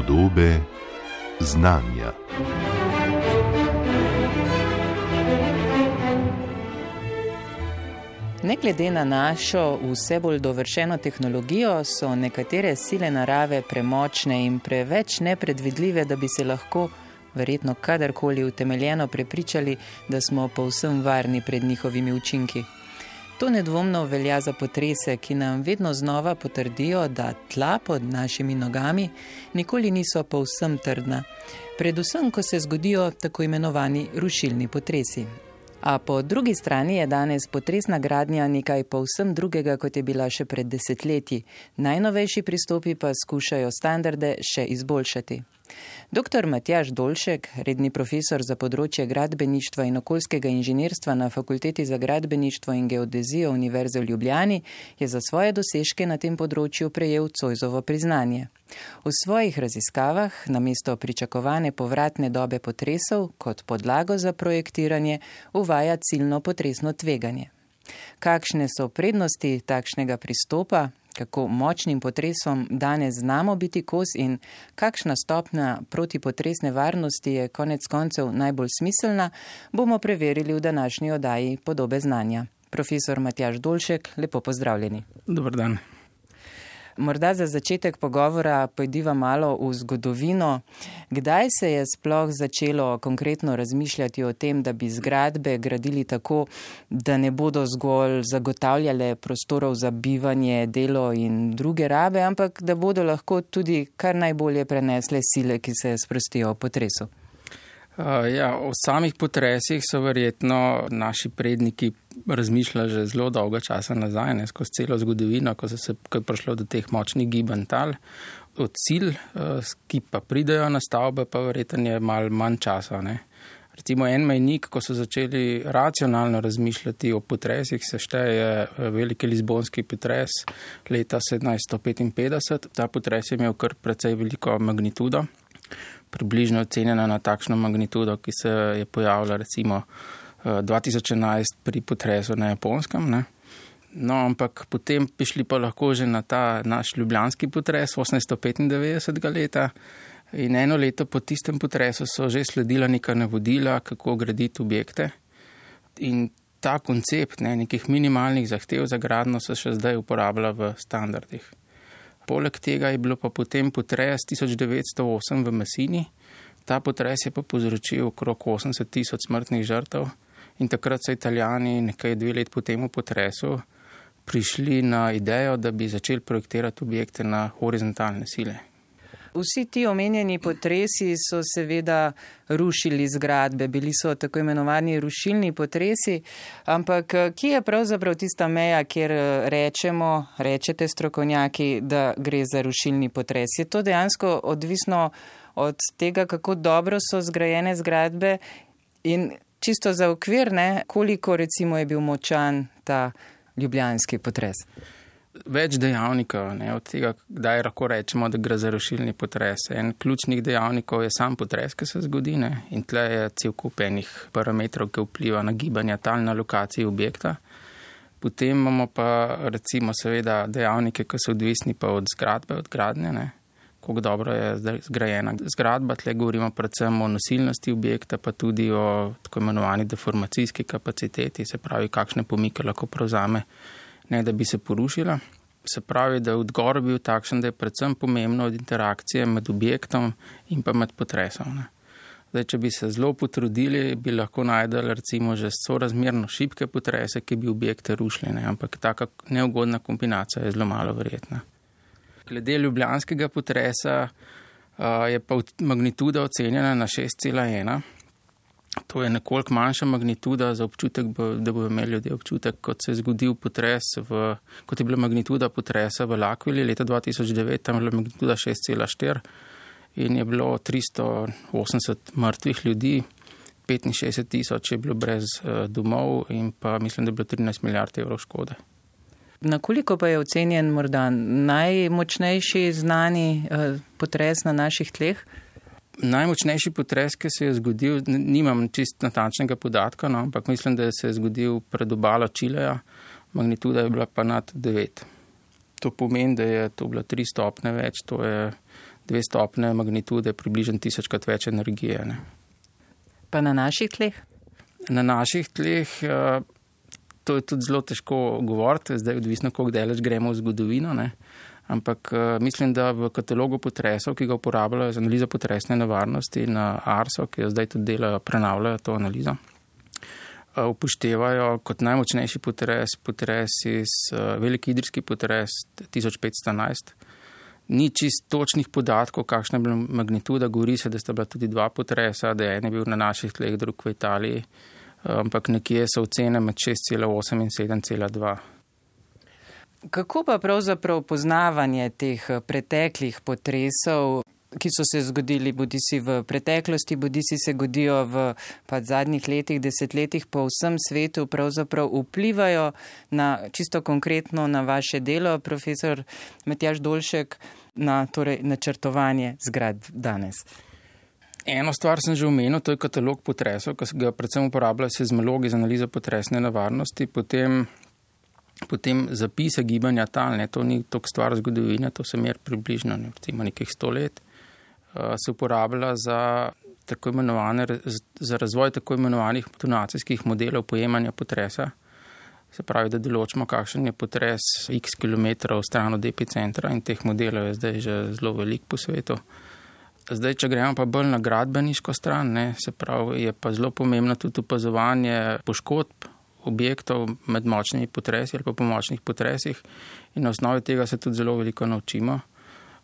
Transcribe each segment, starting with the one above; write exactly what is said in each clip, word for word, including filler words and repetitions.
Podobe znanja. Ne glede na našo vse bolj dovršeno tehnologijo, so nekatere sile narave premočne in preveč nepredvidljive, da bi se lahko verjetno kadarkoli utemeljeno prepričali, da smo povsem varni pred njihovimi učinki. To nedvomno velja za potrese, ki nam vedno znova potrdijo, da tla pod našimi nogami nikoli niso povsem trdna, predvsem, ko se zgodijo tako imenovani rušilni potresi. A po drugi strani je danes potresna gradnja nekaj povsem drugega, kot je bila še pred desetletji. Najnovejši pristopi pa skušajo standarde še izboljšati. Doktor Matjaž Dolšek, redni profesor za področje gradbeništva in okoljskega inženirstva na Fakulteti za gradbeništvo in geodezijo Univerze v Ljubljani, je za svoje dosežke na tem področju prejel Zoisovo priznanje. V svojih raziskavah namesto pričakovane povratne dobe potresov kot podlago za projektiranje uvaja ciljno potresno tveganje. Kakšne so prednosti takšnega pristopa? Kako močnim potresom danes znamo biti kos in kakšna stopnja protipotresne varnosti je konec koncev najbolj smiselna, bomo preverili v današnji oddaji Podobe znanja. Profesor Matjaž Dolšek, lepo pozdravljeni. Dobar dan. Morda za začetek pogovora pojdiva malo v zgodovino. Kdaj se je sploh začelo konkretno razmišljati o tem, da bi zgradbe gradili tako, da ne bodo zgolj zagotavljale prostorov za bivanje, delo in druge rabe, ampak da bodo lahko tudi kar najbolje prenesle sile, ki se sprostijo v potresu? Uh, ja, o samih potresih so verjetno naši predniki razmišljali že zelo dolgo časa nazaj, ne, skozi celo zgodovino, ko, se, ko je prišlo do teh močnih gibanj tal. Od cilj, uh, ki pa pridejo na stavbe, pa verjetno je malo manj časa. Ne. Recimo en mejnik, ko so začeli racionalno razmišljati o potresih, se šteje veliki lizbonski potres leta sedemnajststo petinpetdeset. Ta potres je imel kar precej veliko magnitudo. Približno ocenjena na takšno magnitudo, ki se je pojavila recimo dva tisoč enajst pri potresu na Japonskem. Ne? No, ampak potem bi šli pa lahko že na ta naš ljubljanski potres osemnajststo petindevetdesetega leta in eno leto po tistem potresu so že sledila neka navodila, kako graditi objekte. In ta koncept ne, nekih minimalnih zahtev za gradnjo se še zdaj uporablja v standardih. Poleg tega je bilo pa potem potres tisoč devetsto osem v Messini. Ta potres je pa povzročil okrog osemdeset tisoč smrtnih žrtev in takrat so Italijani nekaj dve let po temu potresu prišli na idejo, da bi začeli projektirati objekte na horizontalne sile. Vsi ti omenjeni potresi so seveda rušili zgradbe, bili so tako imenovani rušilni potresi, ampak kje je pravzaprav tista meja, kjer rečemo, rečete strokovnjaki, da gre za rušilni potres? Je to dejansko odvisno od tega, kako dobro so zgrajene zgradbe in čisto za okvir, ne, koliko recimo je bil močan ta ljubljanski potres? Več dejavnikov, ne, od tega, kdaj lahko rečemo, da gre za rušilni potres. En ključnih dejavnikov je sam potres, ki se zgodi, ne, in tle je cel kup enih parametrov, ki vpliva na gibanje tal na lokaciji objekta. Potem imamo pa recimo seveda dejavnike, ki so odvisni pa od zgradbe, od gradnje, ne, koliko dobro je zgrajena zgradba. Tle govorimo predvsem o nosilnosti objekta, pa tudi o tako imenovani deformacijski kapaciteti, se pravi, kakšne pomike lahko prevzame, ne da bi se porušila. Se pravi, da je odgovor bil takšen, da je predvsem pomembno od interakcije med objektom in pa med potresom. Ne. Zdaj, če bi se zelo potrudili, bi lahko najdeli recimo že sorazmerno šibke potrese, ki bi objekte rušili, ne. Ampak taka neugodna kombinacija je zelo malo verjetna. Glede ljubljanskega potresa uh, je pa magnituda ocenjena na šest cela ena. To je nekoliko manjša magnituda za občutek, da bodo imeli ljudje občutek, kot se je zgodil potres, v, kot je bila magnituda potresa v L'Aquili leta dva tisoč devet, tam je bila magnituda šest cela štiri in je bilo tristo osemdeset mrtvih ljudi, petinšestdeset tisoč je bilo brez domov in pa mislim, da je bilo trinajst milijard evrov škode. Na koliko pa je ocenjen morda najmočnejši znani potres na naših tleh? Najmočnejši potres, ki se je zgodil, nimam čist natančnega podatka, no, ampak mislim, da se je zgodil pred obalo Čileja, magnituda je bila pa nad devet. To pomeni, da je to bila tri stopne več, to je dve stopne magnitude, približno tisočkrat več energije. Ne. Pa na naših tleh? Na naših tleh to je tudi zelo težko govoriti, zdaj odvisno, koliko daleč gremo v zgodovino, ne. Ampak mislim, da v katalogu potresov, ki ga uporabljajo za analizo potresne nevarnosti na ARSO, ki jo zdaj tudi delajo, prenavljajo to analizo, upoštevajo kot najmočnejši potres, potres iz veliki idrijski potres tisoč petsto enajst. Ni čist točnih podatkov, kakšna je bila magnituda, govori se, da sta bila tudi dva potresa, da je en je bil na naših tleh, drug v Italiji, ampak nekje so ocene med šest cela osem in sedem cela dva. Kako pa pravzaprav poznavanje teh preteklih potresov, ki so se zgodili bodisi v preteklosti, bodisi se godijo v pa zadnjih letih, desetletjih po vsem svetu, pravzaprav vplivajo na čisto konkretno na vaše delo, profesor Matjaž Dolšek, na torej načrtovanje zgradb danes? Eno stvar sem že omenil, to je katalog potresov, ki ga predvsem uporabljajo seizmologi za analizo potresne nevarnosti, potem Potem zapise gibanja tal, ne, to ni toliko stvar zgodovine, to se mer približno ne, recimo nekih sto let, uh, se uporablja za, tako imenovane, za razvoj tako imenovanih tonacijskih modelov pojemanja potresa. Se pravi, da določimo, kakšen je potres x kilometrov stran od epicentra in teh modelov je zdaj že zelo velik po svetu. Zdaj, če gremo pa bolj na gradbeniško stran, ne, se pravi, je pa zelo pomembno tudi opazovanje poškodb objektov med močnimi potresi ali pa po močnih potresih in na osnovi tega se tudi zelo veliko naučimo,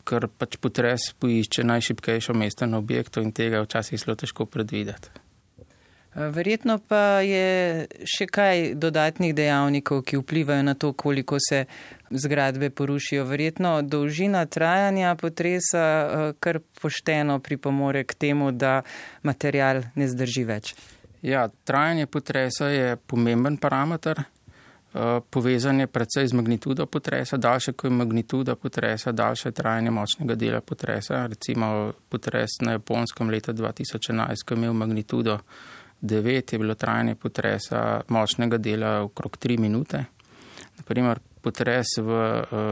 ker pač potres poišče najšibkejšo mesto na objektu in tega je včasih zelo težko predvideti. Verjetno pa je še kaj dodatnih dejavnikov, ki vplivajo na to, koliko se zgradbe porušijo. Verjetno dolžina trajanja potresa kar pošteno pripomore k temu, da material ne zdrži več. Ja, trajanje potresa je pomemben parameter, povezan je predvsej z magnitudo potresa, daljše kot je magnituda potresa, daljše je trajanje močnega dela potresa. Recimo potres na Japonskem leta dva tisoč enajst, ko je imel magnitudo devet, je bilo trajanje potresa močnega dela okrog tri minute. Naprimer, potres v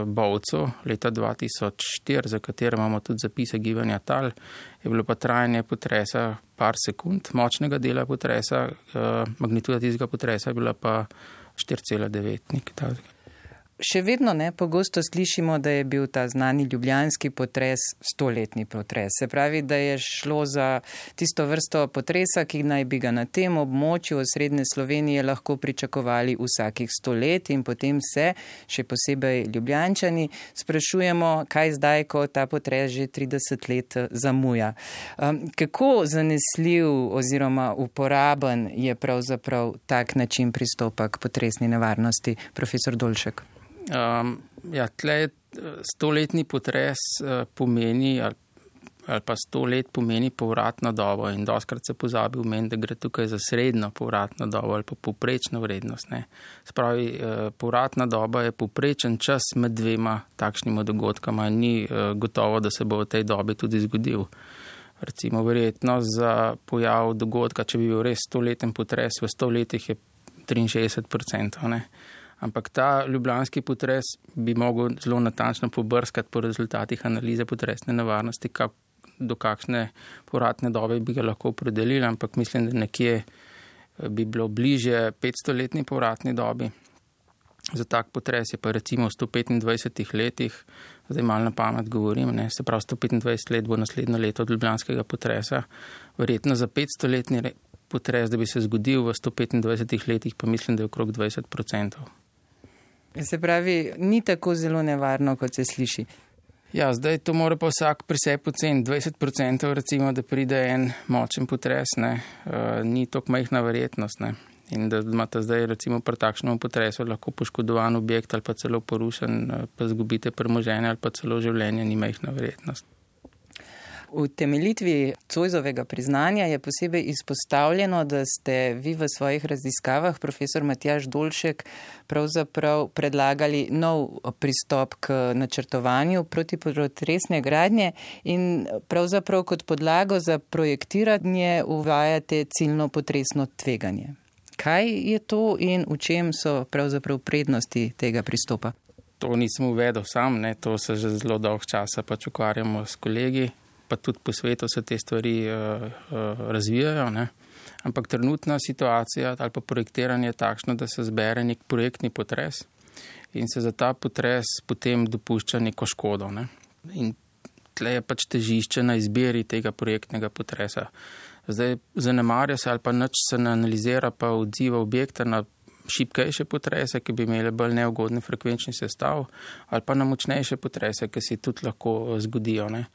Bovcu leta dva tisoč štiri, za katero imamo tudi zapise gibanja tal, je bilo pa trajanje potresa par sekund močnega dela potresa, magnituda tistega potresa je bila pa štiri cela devet. Še vedno ne, pogosto slišimo, da je bil ta znani ljubljanski potres stoletni potres. Se pravi, da je šlo za tisto vrsto potresa, ki naj bi ga na tem območju osrednje Slovenije lahko pričakovali vsakih sto let in potem se, še posebej Ljubljančani, sprašujemo, kaj zdaj, ko ta potres že trideset let zamuja. Kako zanesljiv oziroma uporaben je pravzaprav tak način pristopa k potresni nevarnosti, profesor Dolšek? Um, ja, tle stoletni potres uh, pomeni ali, ali pa sto let pomeni povratno dobo in dostkrat se pozabi omeniti, da gre tukaj za srednjo povratno dobo ali pa povprečno vrednost. Ne. Spravi, uh, povratna doba je povprečen čas med dvema takšnima dogodkama in ni uh, gotovo, da se bo v tej dobi tudi zgodil. Recimo verjetno za pojav dogodka, če bi bil res stoleten potres, v sto letih je triinšestdeset procentov. Ne. Ampak ta ljubljanski potres bi mogel zelo natančno pobrskati po rezultatih analize potresne nevarnosti, kak, do kakšne povratne dobe bi ga lahko opredelili, ampak mislim, da nekje bi bilo bližje petstoletni povratni dobi. Za tak potres je pa recimo v sto petindvajsetih letih, zdaj malo na pamet govorim, ne, se pravi sto petindvajset let bo naslednjo leto od ljubljanskega potresa, verjetno za petstoletni potres, da bi se zgodil v sto petindvajsetih letih, pa mislim, da je okrog dvajset procentov. Se pravi, ni tako zelo nevarno, kot se sliši. Ja, zdaj to mora pa vsak pri sebi oceniti. dvajset procentov recimo, da pride en močen potres, ne, uh, ni toliko majhna verjetnost, ne. In da imate zdaj recimo pri takšnem potresu lahko poškodovan objekt ali pa celo porušen, pa zgubite premoženje ali pa celo življenje, ni majhna verjetnost. V temeljitvi Zoisovega priznanja je posebej izpostavljeno, da ste vi v svojih raziskavah, profesor Matjaž Dolšek, pravzaprav predlagali nov pristop k načrtovanju protipotresne gradnje in pravzaprav kot podlago za projektiranje uvajate ciljno potresno tveganje. Kaj je to in v čem so pravzaprav prednosti tega pristopa? To nisem uvedel sam, ne, to se že zelo dolgo časa pač ukvarjamo s kolegi, pa tudi po svetu se te stvari uh, uh, razvijajo, ne. Ampak trenutna situacija ali pa projektiranje je takšno, da se zbere nek projektni potres in se za ta potres potem dopušča neko škodo, ne. In tle je pač težišče na izbiri tega projektnega potresa. Zdaj zanemarja se ali pa nič se ne analizira pa odziva objekta na šibkejše potrese, ki bi imeli bolj neugodni frekvenčni sestav, ali pa na močnejše potrese, ki se tudi lahko zgodijo, ne.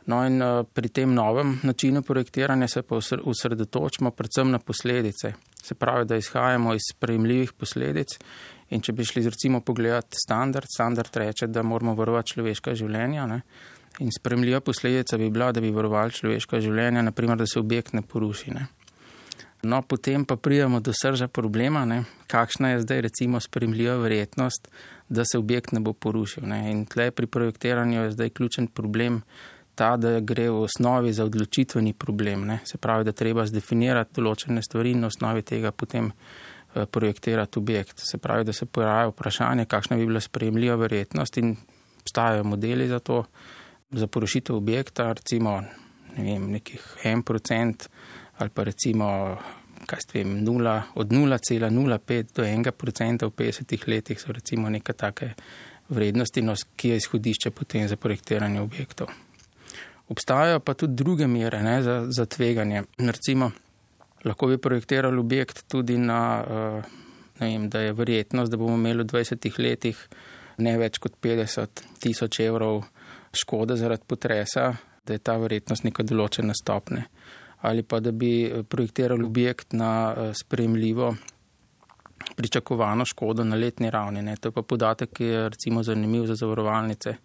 No in pri tem novem načinu projektiranja se pa osredotočimo predvsem na posledice. Se pravi, da izhajamo iz sprejemljivih posledic in če bi šli recimo pogledati standard, standard reče, da moramo varovati človeška življenja, ne. In sprejemljiva posledica bi bila, da bi varovali človeška življenja, naprimer, da se objekt ne poruši, ne. No, potem pa pridemo do srža problema, ne, kakšna je zdaj recimo sprejemljiva verjetnost, da se objekt ne bo porušil, ne. In tle pri projektiranju je zdaj ključen problem ta, da gre v osnovi za odločitveni problem, ne. Se pravi, da treba zdefinirati določene stvari in na osnovi tega potem projektirati objekt. Se pravi, da se pojavi vprašanje, kakšna bi bila sprejemljiva verjetnost in obstajajo modeli za to, za porušitev objekta, recimo, ne vem, nekih en procent ali pa recimo, kaj s tem, nula, od nula cela nula pet do enega procenta v petdesetih letih so recimo neke take vrednosti, no, ki je izhodišče potem za projektiranje objektov. Obstajajo pa tudi druge mere, ne, za, za tveganje. Recimo, lahko bi projektirali objekt tudi na, ne vem, da je verjetnost, da bomo imeli v dvajsetih letih ne več kot petdeset tisoč evrov škode zaradi potresa, da je ta verjetnost neka določena stopnja. Ali pa da bi projektirali objekt na sprejemljivo pričakovano škodo na letni ravni, ne. To je pa podatek, ki je recimo zanimiv za zavarovalnice.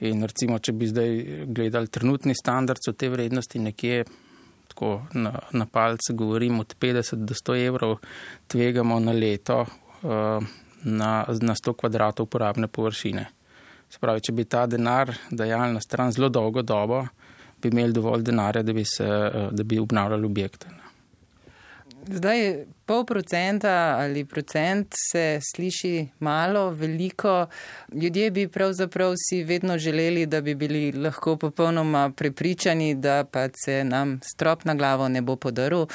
In recimo, če bi zdaj gledali trenutni standard, so te vrednosti nekje, tako na, na palce govorim, od petdeset do sto evrov tvegamo na leto uh, na, na sto kvadratov uporabne površine. Se pravi, če bi ta denar dajali na stran zelo dolgo dobo, bi imeli dovolj denarja, da bi, se, da bi obnavljali objekte. Zdaj, pol procenta ali procent se sliši malo, veliko. Ljudje bi pravzaprav si vedno želeli, da bi bili lahko popolnoma prepričani, da pa se nam strop na glavo ne bo podaril.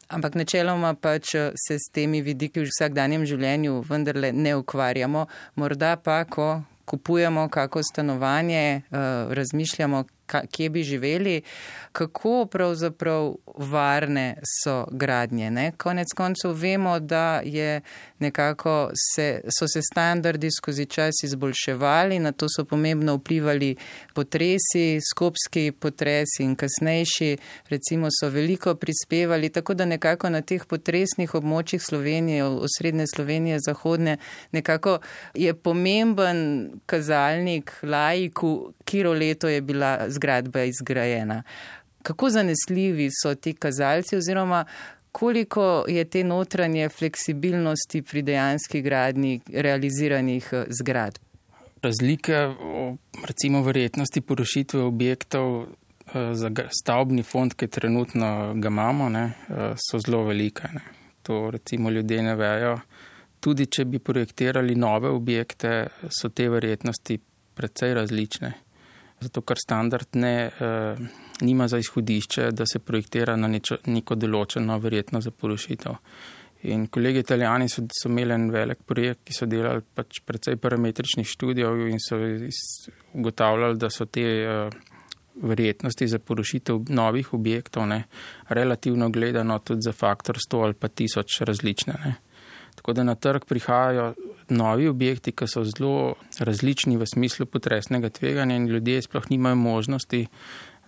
Ampak načeloma pač se s temi vidiki v vsakdanjem življenju vendarle ne ukvarjamo. Morda pa, ko kupujemo kako stanovanje, razmišljamo, kje bi živeli, kako pravzaprav varne so gradnje, ne? Konec koncev vemo, da je nekako se, so se standardi skozi čas izboljševali, na to so pomembno vplivali potresi, skopski potresi in kasnejši, recimo so veliko prispevali, tako da nekako na teh potresnih območjih Slovenije, osrednje Slovenije, zahodne, nekako je pomemben kazalnik laiku, katero leto je bila zgradba izgrajena. Kako zanesljivi so ti kazalci oziroma koliko je te notranje fleksibilnosti pri dejanski gradnji realiziranih zgradb? Razlike o recimo verjetnosti porušitve objektov za stavbni fond, ki trenutno ga imamo, ne, so zelo velike. Ne. To recimo ljudje ne vejo. Tudi če bi projektirali nove objekte, so te verjetnosti precej različne. Zato, ker standard ne, eh, nima za izhodišče, da se projektira na nečo, neko določeno verjetno za porušitev. In kolegi Italijani so, so imeli en velik projekt, ki so delali pač precej parametričnih študijev in so ugotavljali, da so te eh, verjetnosti za porušitev novih objektov, ne, relativno gledano tudi za faktor sto ali pa tisoč različne, ne. Tako da na trg prihajajo novi objekti, ki so zelo različni v smislu potresnega tveganja in ljudje sploh nimajo možnosti,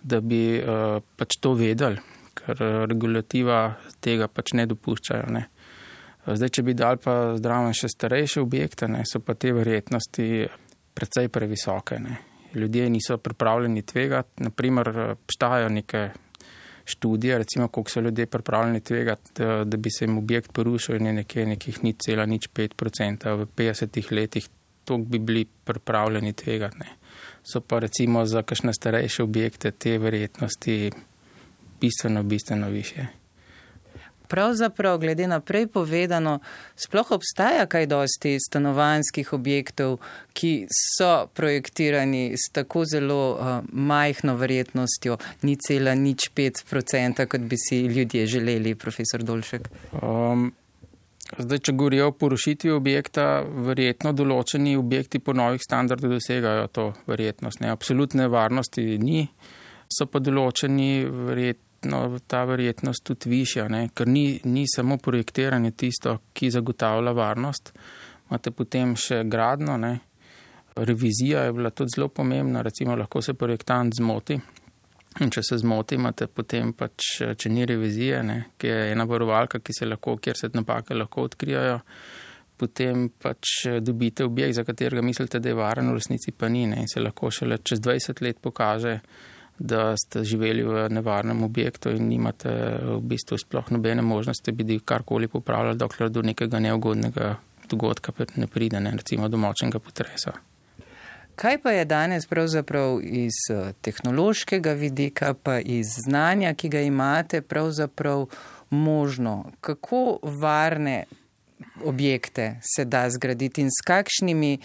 da bi uh, pač to vedeli, ker regulativa tega pač ne dopuščajo. Ne. Zdaj, če bi dal pa zdravo še starejše objekte, ne, so pa te verjetnosti precej previsoke. Ne. Ljudje niso pripravljeni tvegati, naprimer obstajajo neke študije, recimo, koliko so ljudje pripravljeni tvegati, da, da bi se jim objekt porušil in je nekje nekih nič cela nič pet procenta v petdesetih letih, toliko bi bili pripravljeni tvegati. Ne. So pa recimo za kakšne starejše objekte te verjetnosti bistveno, bistveno više. pravzaprav, glede na prej povedano, sploh obstaja kaj dosti stanovanjskih objektov, ki so projektirani s tako zelo uh, majhno verjetnostjo, ni cela nič pet procenta, kot bi si ljudje želeli, profesor Dolšek? Um, zdaj, če govorijo o porušitvi objekta, verjetno določeni objekti po novih standardih dosegajo to verjetnost. Ne? Absolutne varnosti ni, so pa določeni verjetno No, ta verjetnost tudi višja, ne? Ker ni, ni samo projektiranje tisto, ki zagotavlja varnost. Imate potem še gradno, ne? Revizija je bila tudi zelo pomembna, recimo lahko se projektant zmoti. In če se zmoti, imate potem pač, če ni revizije, ne? Ki je ena varovalka, ki se lahko, kjer se napake lahko odkrijajo, potem pač dobite objekt, za katerega mislite, da je varen, v resnici pa ni, ne? In se lahko šele čez dvajset let pokaže, da ste živeli v nevarnem objektu in nimate v bistvu sploh nobene možnosti, da bi karkoli popravljali, dokler do nekega neugodnega dogodka ne pride, ne, recimo domočnega potresa. Kaj pa je danes pravzaprav iz tehnološkega vidika, pa iz znanja, ki ga imate, pravzaprav možno? Kako varne objekte se da zgraditi in s kakšnimi,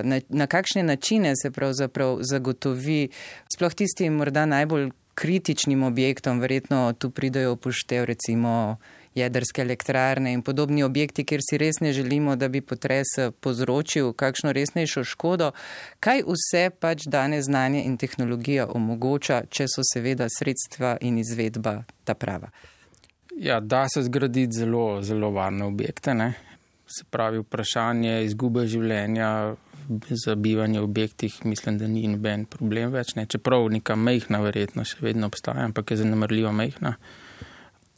na, na kakšne načine se pravzaprav zagotovi sploh tistim morda najbolj kritičnim objektom, verjetno tu pridajo upoštev recimo jedrske elektrarne in podobni objekti, kjer si res ne želimo, da bi potres povzročil kakšno resnejšo škodo. Kaj vse pač danes znanje in tehnologija omogoča, če so seveda sredstva in izvedba ta prava? Ja, da se zgraditi zelo, zelo varne objekte, ne. Se pravi, vprašanje izgube življenja za bivanje v objektih, mislim, da ni noben problem več, ne. Čeprav neka mejhna verjetnost še vedno obstaja, ampak je zanemarljivo mejhna.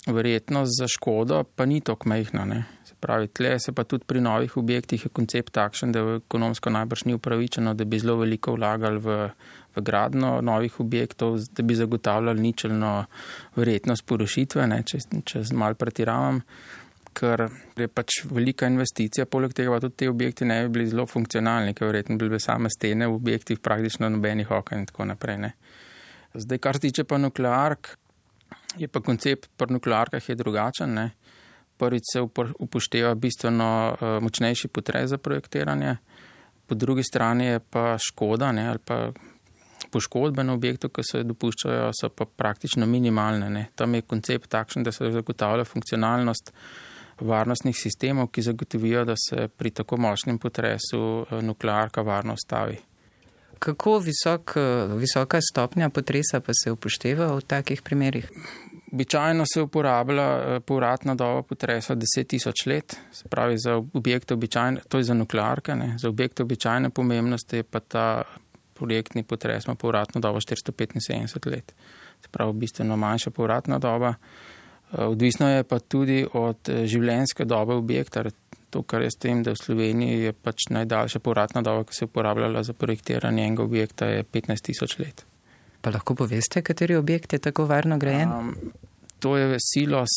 Verjetnost za škodo pa ni toliko mejhna, ne. Se pravi, tle se pa tudi pri novih objektih je koncept takšen, da ekonomsko najbrž ni upravičeno, da bi zelo veliko vlagali v v gradno novih objektov, da bi zagotavljali ničelno verjetnost porušitve, ne, če, če malo pretiravam, ker je pač velika investicija, poleg tega pa tudi te objekti ne bi bili zelo funkcionalni, ker verjetno bi bile same stene v objektih praktično nobenih okien in tako naprej. Ne. Zdaj, kar se tiče pa nukleark, je pa koncept pri nuklearkah je drugačen. Ne. Prvič se upošteva bistveno uh, močnejši potres za projektiranje, po drugi strani je pa škoda, ne, ali pa poškodbe na objektu, ki se dopuščajo, so pa praktično minimalne. Ne. Tam je koncept takšen, da se zagotavlja funkcionalnost varnostnih sistemov, ki zagotovijo, da se pri tako močnem potresu nuklearka varno stavi. Kako visok, visoka stopnja potresa pa se upošteva v takih primerih? Običajno se uporablja povratna doba potresa deset tisoč let, se pravi za objekte običajne, to je za nuklearke, ne. Za objekte običajne pomembnosti je pa ta projektni potres ima povratno dobo štiristo petinsedemdeset let. Se pravi, bistveno manjša povratna doba. Odvisno je pa tudi od življenjske dobe objekta. To, kar je s tem, da v Sloveniji je pač najdaljša povratna doba, ki se je uporabljala za projektiranje enega objekta, je petnajst tisoč let. Pa lahko poveste, kateri objekt je tako varno grajen? Um, to je silos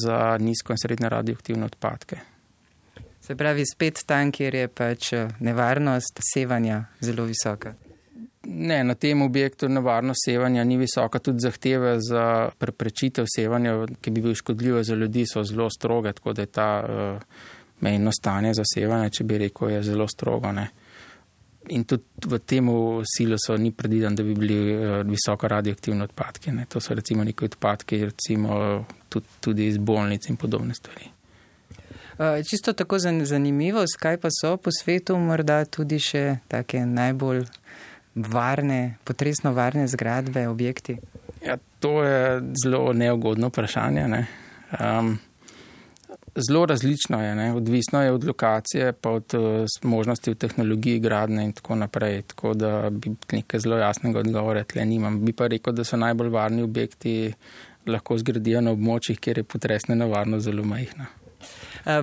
za nizko in srednje radioaktivne odpadke. Se pravi, spet tam, kjer je pač nevarnost sevanja zelo visoka. Ne, na tem objektu nevarnost sevanja ni visoka, tudi zahteve za preprečitev sevanja, ki bi bil škodljivo za ljudi, so zelo stroge, tako da je ta uh, mejno stanje za sevanje, če bi rekel, je zelo strogo. Ne. In tudi v tem silosu ni predviden, da bi bili uh, visoko radioaktivni odpadki. Ne. To so recimo neki odpadki, recimo tudi, tudi iz bolnic in podobne stvari. Uh, čisto tako zanimivo, kaj pa so po svetu morda tudi še take najbolj varne, potresno varne zgradbe, objekti? Ja, to je zelo neugodno vprašanje. Ne. Um, zelo različno je, ne. Odvisno je od lokacije, pa od uh, možnosti v tehnologiji gradnje in tako naprej. Tako da bi nekaj zelo jasnega odgovora tle nimam. Bi pa rekel, da so najbolj varni objekti lahko zgradijo na območjih, kjer je potresna nevarnost zelo majhna.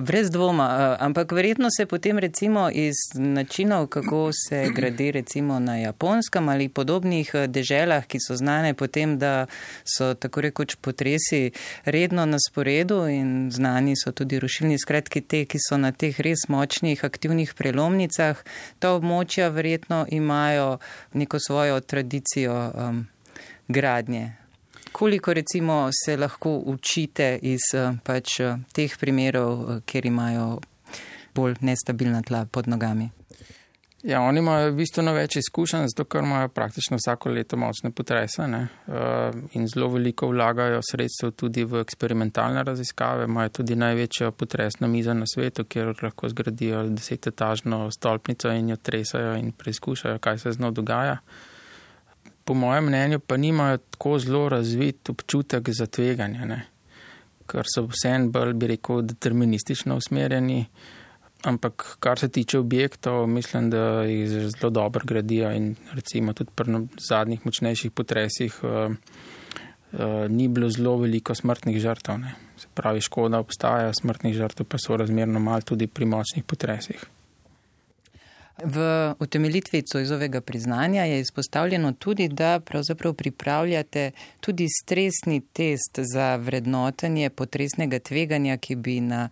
Brez dvoma, ampak verjetno se potem recimo iz načinov, kako se gradi recimo na Japonskem ali podobnih deželah, ki so znane potem, da so tako rekoč potresi redno na sporedu in znani so tudi rušilni skratki te, ki so na teh res močnih aktivnih prelomnicah, ta območja verjetno imajo neko svojo tradicijo um, gradnje. Koliko recimo se lahko učite iz pač teh primerov, kjer imajo bolj nestabilna tla pod nogami? Ja, oni imajo bistveno več izkušenj, zato ker imajo praktično vsako leto močne potrese, ne, in zelo veliko vlagajo sredstev tudi v eksperimentalne raziskave, imajo tudi največjo potresno mizo na svetu, kjer lahko zgradijo desetetažno stolpnico in jo tresajo in preizkušajo, kaj se z njo dogaja. Po mojem mnenju pa nimajo tako zelo razvit občutek za tveganje, ne, ker so vseeno bolj, bi rekel, deterministično usmerjeni. Ampak kar se tiče objektov, mislim, da jih zelo dobro gradijo in recimo tudi pri zadnjih močnejših potresih uh, uh, ni bilo zelo veliko smrtnih žrtev. Ne. Se pravi, škoda obstaja, smrtnih žrtev pa so razmerno malo tudi pri močnih potresih. V utemeljitvi Zoisovega priznanja je izpostavljeno tudi, da pravzaprav pripravljate tudi stresni test za vrednotenje potresnega tveganja, ki bi na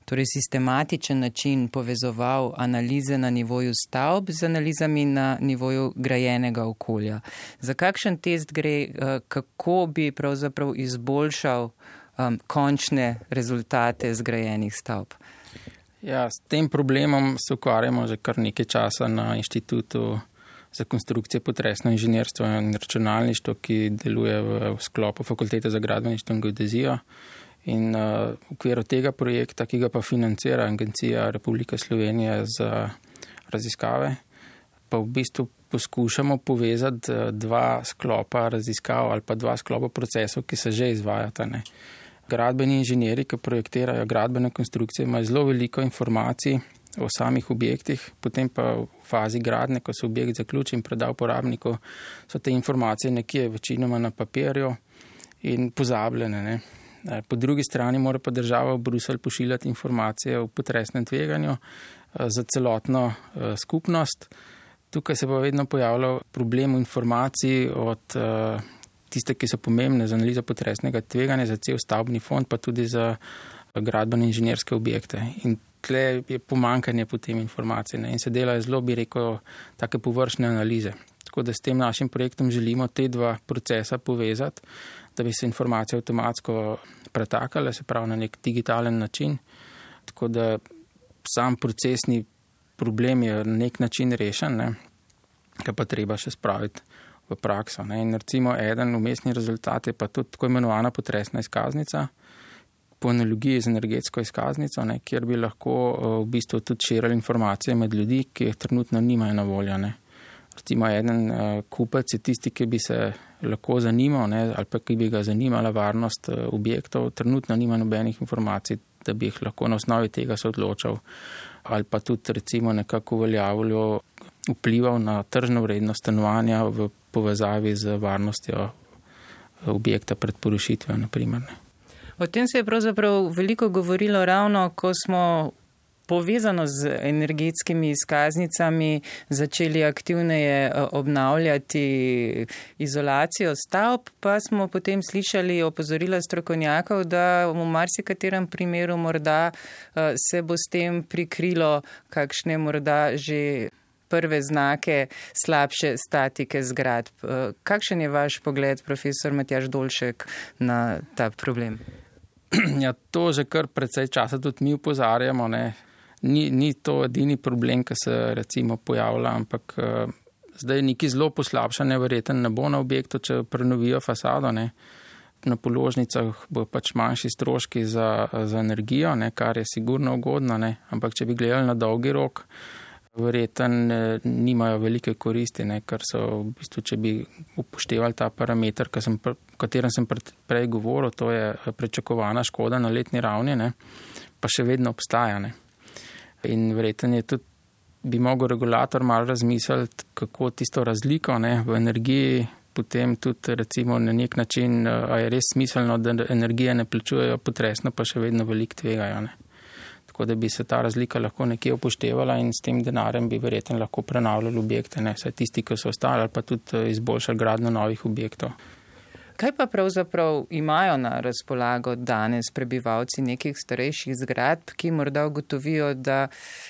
torej sistematičen način povezoval analize na nivoju stavb z analizami na nivoju grajenega okolja. Za kakšen test gre, kako bi pravzaprav izboljšal um, končne rezultate zgrajenih stavb? Ja, s tem problemom se ukvarjamo že kar nekaj časa na Inštitutu za konstrukcije, potresno inženirstvo in računalništvo, ki deluje v sklopu Fakultete za gradbeništvo in geodezijo. In uh, v okviru tega projekta, ki ga pa financira Agencija Republike Slovenije za raziskave, pa v bistvu poskušamo povezati dva sklopa raziskav ali pa dva sklopa procesov, ki se že izvajata. Ne. Gradbeni inženjeri, ki projektirajo gradbene konstrukcije, imajo zelo veliko informacij o samih objektih, potem pa v fazi gradnje, ko se objekt zaključi in preda uporabniku, so te informacije nekje večinoma na papirju in pozabljene. Ne. Po drugi strani mora pa država v Bruselj pošiljati informacije o potresnem tveganju za celotno skupnost. Tukaj se pa vedno pojavlja problem informacij od tiste, ki so pomembne za analizo potresnega tveganja, za cel stavbni fond, pa tudi za gradbene inženirske objekte. In tle je pomankanje potem informacij, ne? In se delajo zelo, bi rekel, take površne analize. Tako da s tem našim projektom želimo te dva procesa povezati, da bi se informacije avtomatsko pretakale, se pravi na nek digitalen način. Tako da sam procesni problem je na nek način rešen, ne? Ga pa treba še spraviti v prakso. Ne? In recimo eden umestni rezultat je pa tudi tako imenovana potresna izkaznica, po analogiji z energetsko izkaznico, ne? Kjer bi lahko v bistvu tudi širili informacije med ljudi, ki jih trenutno nimajo na voljo. Ne? Recimo eden uh, kupec je tisti, ki bi se lahko zanimal, ne, ali pa ki bi ga zanimala varnost uh, objektov, trenutno nima nobenih informacij, da bi jih lahko na osnovi tega se odločal, ali pa tudi recimo nekako uveljavljal, vplival na tržno vrednost stanovanja v povezavi z varnostjo objekta pred porušitvijo, na primer. O tem se je pravzaprav veliko govorilo ravno, ko smo povezano z energetskimi izkaznicami začeli aktivneje obnavljati izolacijo stavb, pa smo potem slišali opozorila strokovnjakov, da v marsikaterem primeru morda se bo s tem prikrilo kakšne morda že prve znake slabše statike zgradb. Kakšen je vaš pogled, profesor Matjaž Dolšek, na ta problem? Ja, to že kar precej časa tudi mi upozarjamo, ne. Ni, ni to edini problem, ki se recimo pojavlja, ampak uh, zdaj neki zelo poslabšanje verjeten ne bo na objektu, če prenovijo fasado, ne. Na položnicah bo pač manjši stroški za, za energijo, ne, kar je sigurno ugodno, ne. Ampak če bi gledali na dolgi rok, verjeten nimajo velike koristi, ne, ker so v bistvu, če bi upoštevali ta parameter, sem, o katerem sem prej govoril, to je pričakovana škoda na letni ravni, ne, pa še vedno obstaja, ne. In verjetno je tudi, bi mogel regulator malo razmisliti, kako tisto razliko, ne, v energiji potem tudi recimo na nek način, a je res smiselno, da energije ne plačujejo potresno, pa še vedno veliko tvegajo. Ne. Tako da bi se ta razlika lahko nekje upoštevala in s tem denarjem bi verjetno lahko prenavljali objekte, ne, vsaj tisti, ki so ostali, ali pa tudi izboljšali gradnjo novih objektov. Kaj pa pravzaprav imajo na razpolago danes prebivalci nekih starejših zgradb, ki morda ugotovijo, da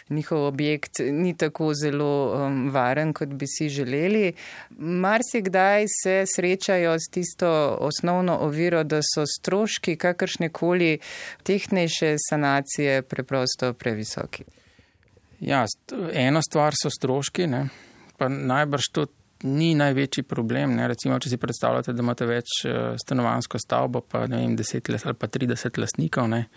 njihov objekt ni tako zelo um, varen, kot bi si želeli? Marsikdaj se srečajo s tisto osnovno oviro, da so stroški kakršnekoli tehnejše sanacije preprosto previsoki. Ja, ena stvar so stroški, ne? Pa najbrž to ni največji problem. Ne? Recimo, če si predstavljate, da imate več stanovanjsko stavbo, pa ne vem, deset ali pa trideset lastnikov, ne?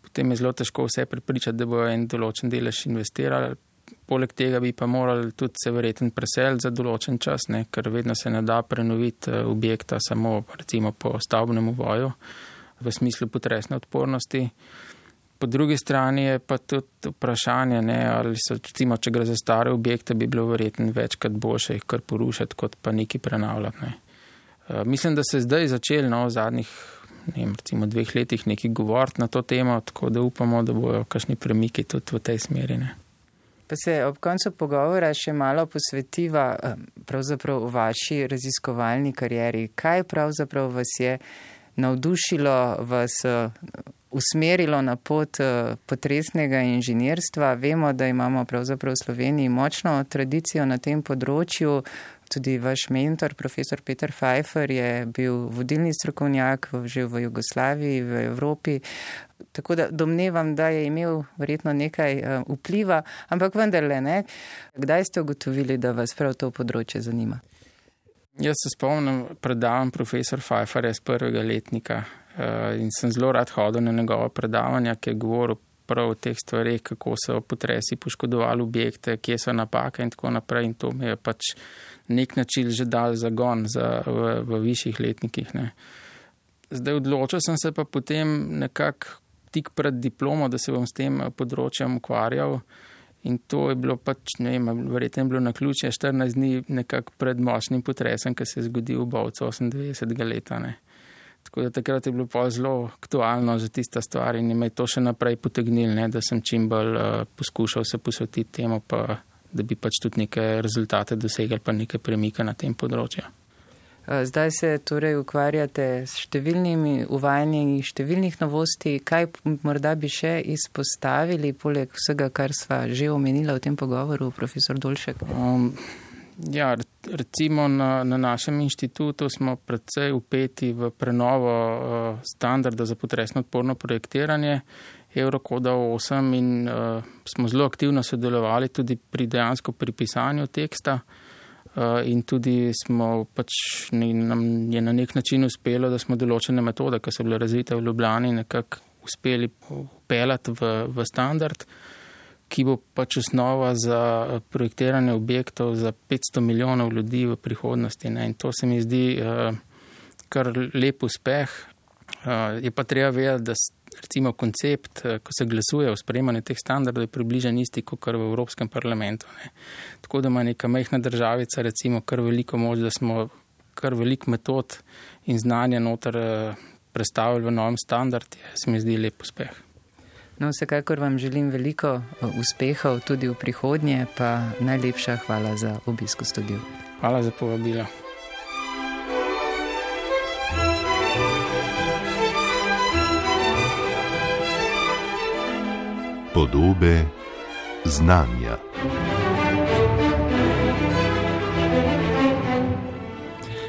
Potem je zelo težko vse prepričati, da bojo en določen delež investirali. Poleg tega bi pa morali tudi se verjetno preseliti za določen čas, ne? Ker vedno se ne da prenoviti objekta samo recimo po stavbnem uvoju v smislu potresne odpornosti. Po drugi strani je pa tudi vprašanje, ne, ali so, recimo, če gre za stare objekte, bi bilo verjetno večkrat boljše jih kar porušiti, kot pa nekaj prenavljati. Ne. Uh, mislim, da se zdaj začeli no, v zadnjih ne vem, recimo dveh letih nekaj govoriti na to temo, tako da upamo, da bojo kakšni premiki tudi v tej smeri. Ne. Pa se ob koncu pogovora še malo posvetiva pravzaprav v vaši raziskovalni karieri. Kaj pravzaprav vas je navdušilo, vas usmerilo na pot potresnega inženirstva? Vemo, da imamo pravzaprav v Sloveniji močno tradicijo na tem področju. Tudi vaš mentor, profesor Peter Pfeiffer, je bil vodilni strokovnjak že v Jugoslaviji, v Evropi. Tako da domnevam, da je imel verjetno nekaj vpliva, ampak vendarle ne. Kdaj ste ugotovili, da vas prav to področje zanima? Jaz se spomnim predavanj profesor Pfeifferja z prvega letnika in sem zelo rad hodil na njegova predavanja, ki je govoril prav o teh stvarih, kako so potresi poškodovali objekte, kje so napake in tako naprej. In to mi je pač nek način že dal zagon za, v, v višjih letnikih. Ne. Zdaj odločil sem se pa potem nekako tik pred diplomo, da se bom s tem področjem ukvarjal. In to je bilo pač, ne vem, verjetno je bilo na ključje štirinajst dni nekako pred močnim potresom, ki se je zgodil v Bovcu osemindevetdesetega leta. Ne. Tako da takrat je bilo pa zelo aktualno že tista stvar in me je to še naprej potegnil, ne, da sem čim bolj uh, poskušal se posvetiti temu, pa da bi pač tudi neke rezultate dosegli, pa neke premike na tem področju. Zdaj se torej ukvarjate s številnimi uvajanji številnih novosti. Kaj morda bi še izpostavili, poleg vsega, kar sva že omenila v tem pogovoru, profesor Dolšek? Um, ja, recimo na, na našem inštitutu smo predvsej upeti v prenovo uh, standarda za potresno odporno projektiranje Eurokoda osem in uh, smo zelo aktivno sodelovali tudi pri dejansko pri pisanju teksta. Uh, in tudi smo pač, ne, nam je na nek način uspelo, da smo določene metode, ki so bile razvite v Ljubljani, nekako uspeli upeljati v, v standard, ki bo pač osnova za projektiranje objektov za petsto milijonov ljudi v prihodnosti. Ne. In to se mi zdi uh, kar lep uspeh. Uh, je pa treba vedeti, da recimo koncept, ko se glasuje o sprejemanju teh standardov, je približen isti kot v Evropskem parlamentu. Ne. Tako da ima neka majhna državica recimo kar veliko moč, da smo kar veliko metod in znanja noter predstavili v novem standard, je, se mi zdi lep uspeh. No, vsekakor vam želim veliko uspehov tudi v prihodnje, pa najlepša hvala za obisk v studiu. Hvala za povabilo. Podobe znanja.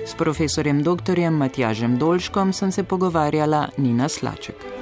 S profesorjem doktorjem Matjažem Dolškom sem se pogovarjala Nina Slaček.